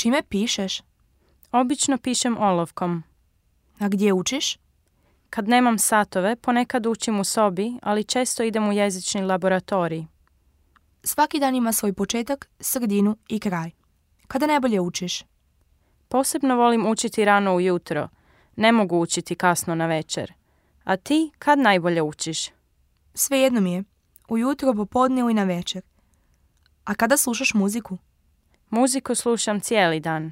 Čime pišeš? Obično pišem olovkom. A gdje učiš? Kad nemam satove, ponekad učim u sobi, ali često idem u jezični laboratorij. Svaki dan ima svoj početak, sredinu i kraj. Kada najbolje učiš? Posebno volim učiti rano ujutro. Ne mogu učiti kasno na večer. A ti, kad najbolje učiš? Svejedno mi je. Ujutro, popodne ili na večer. A kada slušaš muziku? Muziku slušam cijeli dan.